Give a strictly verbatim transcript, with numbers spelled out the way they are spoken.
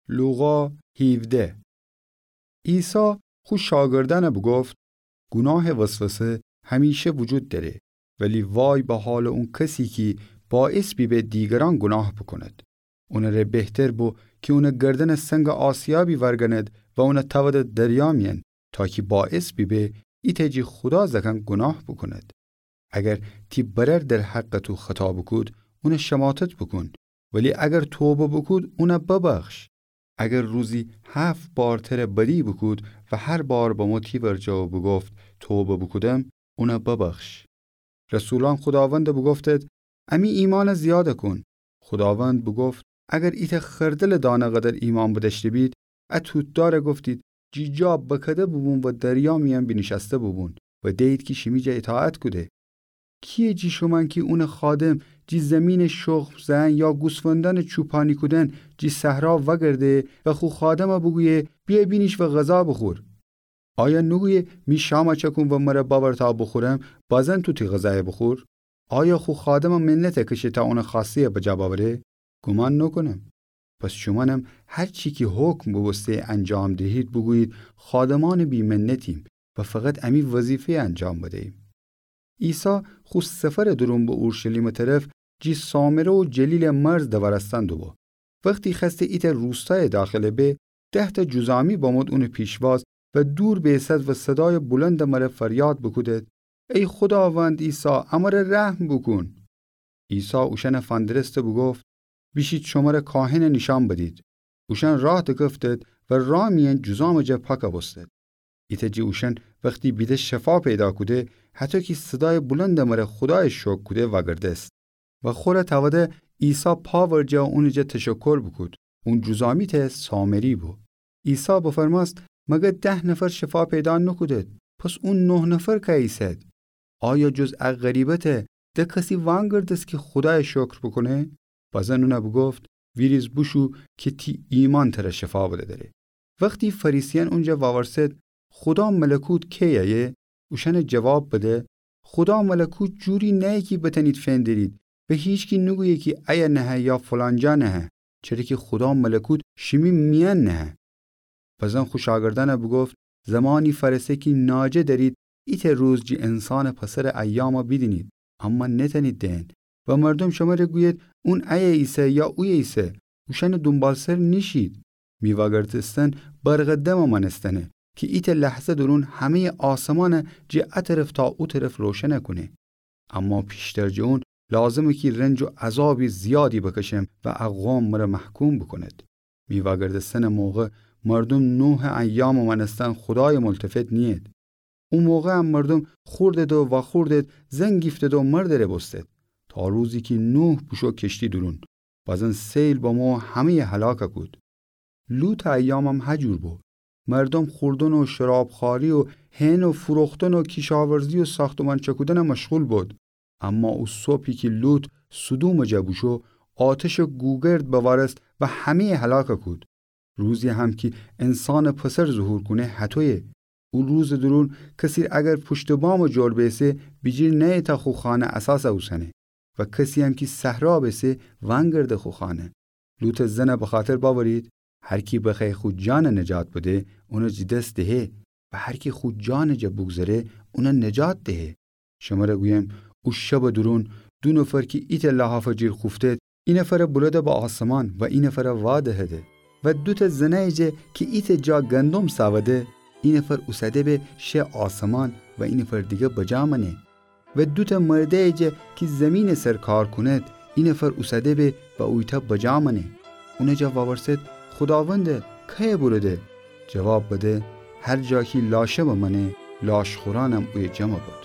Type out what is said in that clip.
لوقا هیوده. عیسی خو شاگردأنَ بوگفت: گوناهٚ وسوسه همیشه وجود دأره، ولی وای به حالٚ اون کسی کی باعث بیبه دیگرأن گوناه بوکوند. اونٚ ره بهتر بو کی اونٚ گردنٚ سنگَ آسیابی ورگنید و اونَ تأودید دریا میأن، تا کی باعث بیبه ایتأ جی خودا زأکأن گوناه بوکوند. اگر تی برأر در حقٚ تو خطا بوکود، اونَ شماتت بوکون، ولی اگر توبه بوکود، اونَ ببخش. اگر روزی هفت بار تره بدی بوکود و هر بار بمو تی ورجه و بوگفت: توبه بوکودم، اونَ ببخش. رسولأن خوداوندَ بوگفتید: امی ایمأنَ زیادَ کون. خوداوند بوگفت: اگر ایتأ خردلٚ دانه قدر ایمأن بدأشته بید، ا توت‌دارَ گفتید: جی جا بکده بوبون و دریا میأن بینیشأسته بوبون، و دئیید کی شیمی جا ایطاعت کوده. کیه جی شومأن کی اونٚ خادم جی زیمینٚ شخم زئن یا گوسفندأنٚ چوپانی کودن جی صحرا وأگرده و خو خادمَ بوگویه: بیأ بینیش و غذا بوخور؟ آیا نوگویه: می شامَ چأکون و مرَ بأور تا بوخورم، بازین تو تی غذایَ بوخور؟ آیا خو خادمٚ منتَ کشه تا اونٚ خوأسته‌یَ بجا بأوره؟ گومان نوکونم. پس شومأنم هر چی کی حکم بوبوسته انجام دهید، بوگویید: خادمأنٚ بی‌منتیم و فقط امی وظیفه‌یَ انجام بدییم. عیسی خو سفرٚ دورون به اورشلیمٚ طرف جی سامره و جلیلٚ مرز دوأرستن دوبو. وختی خوأسته ایتأ روستایٚ داخله به، ده‌تأ جذامی بمود اونٚ پیشواز و دور بیسد و صدایٚ بلندٚ مره فریاد بوکودید: ای خوداوند عیسی، امره رحم بوکون! عیسی اوشأنَ فندرسته بوگفت: بیشید شمره کاهنَ نیشأن بدید. اوشأن راه دکفتید و راه میأن جذامٚ جا پاکَ بوستید. ایتأ جی اوشأن وختی بیده شفا پیدا کوده، هطو کی صدایٚ بلندٚ مره خودایَ شکر کوده، وأگردست و خوره تأوده عیسی پا ورجه و اونٚ جا تشکر بوکود. اون جذامی تأ سامری بو. عیسی بفرمأست: مگر ده نفر شفا پیدا نوکودید؟ پس او نه نفر کأییسد؟ آیا جز ا غریبه‌تأ ده کسی وأنگردست کی خودایَ شکر بوکونه؟ بازین اونَ بوگفت: ویریز بوشو کی تی ایمأن تره شفا بده دأره. وختی فریسیأن اونجا وأورسد: خودا ملکوت کی ایه؟ اوشأنَ جواب بده: خودا ملکوت جوری نهه کی بتأنید فندرید و هیچکی نوگویه کی ایه نهه یا فلان جا نهه، چره کی خودا ملکوت شیمی میأن نهه. بازین خو شاگردأنَ بوگفت: زمانی فأرسه کی ناجه دأرید ایتأ روز جی انسانٚ پسرٚ ایامَ بیدینید، اما نتأنید دئن. و مردوم شمره گوید: اون ایه ایسه یا اویه ایسه، اوشأنٚ دونبالسر نیشید. می وأگردستن برقٚ دمٚ مأنستنه کی ایتأ لحظه دورون همه‌یٚ آسمانَ جی ا طرف تا او طرف روشنَ کونه. اما پیشتر جٚه اون لازمه کی رنج و عذابی زیادی بکشم و ا قوم مره محکوم بوکوند. می وأگردستنٚ موقع مردوم نوحٚ ایامٚ مأنستن خودایَ ملتفت نیید. او موقع هم مردوم خوردد و وأخوردد، زن گیفتد و مردٚ ره بوستد، تا روزی کی نوح بوشو کشتی دورون. بازین سیل بمو و همه‌یَ هلاکَ کود. لوطٚ ایامم هجور بو. مردوم خوردن و شراب‌خوأری و هئن و فروختن و کیشاورزی و ساختمان چأکودنَ مشغول بد. اما او صبحی کی لوط سدومٚ جا بوشو، آتشٚ گوگرد بوأرست و همه‌یَ هلاکَ کود. روزی هم کی انسانٚ پسر ظهور کونه هطویه. او روزٚ دورون کسی اگر پشتٚ بامٚ جور بیسه، بیجیر نأیه تا خو خانه اساسَ اوسنه. و کسی هم کی صحرا بیسه، وأنگرده خو خانه. لوطٚ زنَ بخاطر بأورید، هر کی بخوأیه خو جانَ نجات بده، اونَ جٚه دس دهه، و هر کی خو جانٚ جا بوگذره، اونَ نجات دهه. شمره گویم، او شبٚ دورون دو نفر کی ایتأ لحافٚ جیر خوفتد، ای نفرَ بولده به آسمان و ای نفرَ وادهده. و دوتأ زنأیٚ جا کی ایتأ جا گندم سأوده، ای نفر اوسده به شه آسمان و ای نفر دیگه بجا مأنه. و دوتأ مردأیٚ جا کی زیمینٚ سر کار کونید، ای نفر اوسده به و اویتأ بجا مأنه. اونٚ جا وأورسد، خوداوند، کأیه بولده؟ جواب بده، هر جا کی لاشه بمأنه، لاشخورأنم اویه جمع به.